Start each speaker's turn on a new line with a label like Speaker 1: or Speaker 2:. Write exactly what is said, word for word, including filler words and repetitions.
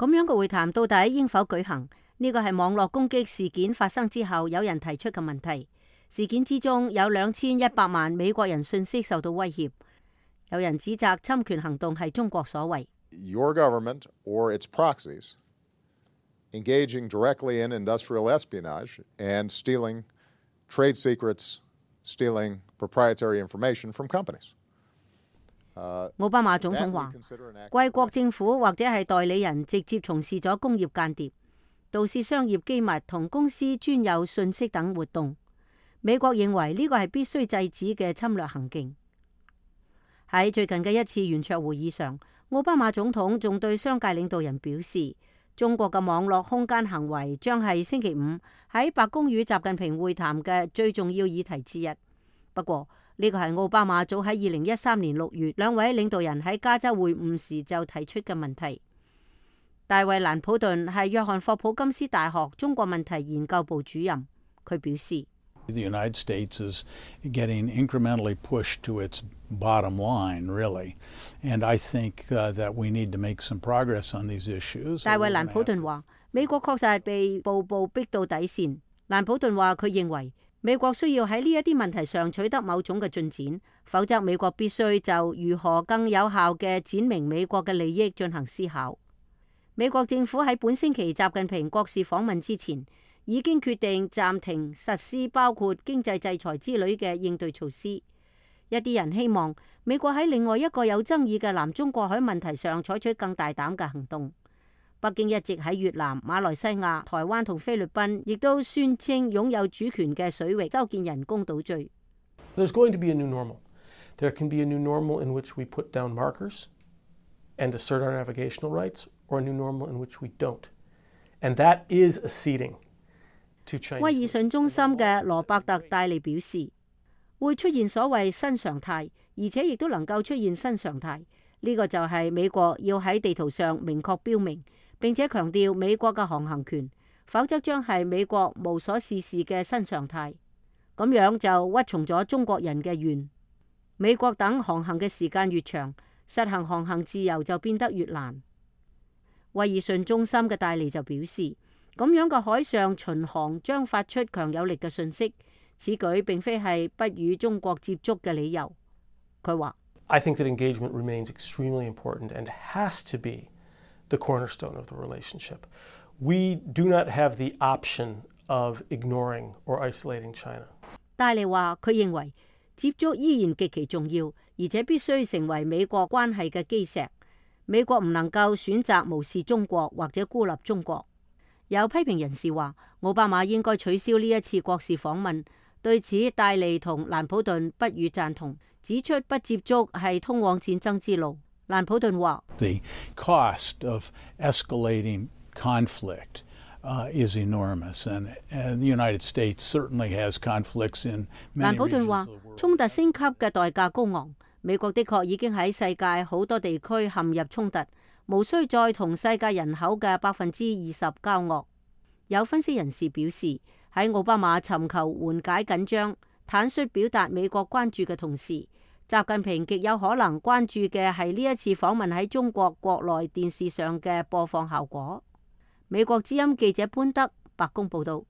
Speaker 1: 咁樣嘅會談到底應否舉行？呢個係網絡攻擊事件發生之後有人提出嘅問題。事件之中有兩千一百萬美國人信息受到威脅，有人指責侵權行動係中國所為。
Speaker 2: Your government or its proxies engaging directly in industrial espionage and stealing trade secrets, stealing proprietary information from companies.
Speaker 1: 奧巴馬總統話，貴國政府或者係代理人直接從事咗工業間諜、盜竊商業機密同公司專有信息等活動。美國認為呢個係必須制止嘅侵略行徑。喺最近嘅一次圓桌會議上，奧巴馬總統仲對商界領導人表示，中國嘅網絡空間行為將係星期五喺白宮與習近平會談嘅最重要議題之一。不過呢個係奧巴馬早喺二零一三年六月兩位領導人喺加州會晤時就提出嘅問題。大衛蘭普頓係約翰霍普金斯大學中國問題研究部主任，佢表示
Speaker 3: ：The United States is getting incrementally pushed to its bottom line, really, and I think that we need to make some progress on these issues.
Speaker 1: 大衛蘭普頓話：美國確實係被步步逼到底線。蘭普頓話：佢認為美國需要喺呢一啲問題上取得某種嘅進展，否則美國必須就如何更有效嘅展明美國嘅利益進行思考。美國政府喺本星期習近平國事訪問之前，已經決定暫停實施包括經濟制裁之類嘅應對措施。一啲人希望美國喺另外一個有爭議嘅南中國海問題上採取更大膽嘅行動。北京一直喺越南、馬來西亞、台灣同菲律賓，亦都宣稱擁有主權嘅水域修建人工島嶼。
Speaker 4: There's going to be a new normal. There can be a new normal in which we put down markers and assert our navigational rights, or a new normal in which we don't. And that is acceding to China.
Speaker 1: 威爾遜中心嘅羅伯特戴利表示，會出現所謂新常態，而且亦都能夠出現新常態。呢個就係美國要喺地圖上明確標明，並且強調美國嘅航行權，否則將係美國無所事事嘅新常態。咁樣就屈從咗中國人嘅願。美國等航行嘅時間越長，實行航行自由就變得越難。威爾遜中心嘅戴利就表示，咁樣嘅海上巡航將發出強有力嘅訊息，此舉並非係不與中國接觸嘅理由。佢話
Speaker 4: ：I think that engagement remains extremely important and has to be the cornerstone of the relationship. We do not have the option of ignoring or isolating China.
Speaker 1: 戴利話：佢認為接觸依然極其重要，而且必須成為美國關係嘅基石。美國唔能夠選擇無視中國或者孤立中國。有批評人士話，奧巴馬應該取消呢一次國事訪問。對此，戴利同蘭普頓不予贊同，指出不接觸係通往戰爭之路。蘭普頓話
Speaker 3: ：The cost of escalating conflict uh, is enormous, and, and the United States certainly has conflicts in many regions of the world. 蘭普頓話：衝突升級嘅代價高昂。美國的確已經喺世界好多地區陷入衝突，無需再同世界人口嘅百分之二十交惡。有分析人士表示，喺奧巴馬尋求緩解緊張、坦率表達美國關注嘅同時，習近平極有可能關注嘅係呢一次訪問喺中國國內電視上嘅播放效果。美國之音記者潘德，白宮報道。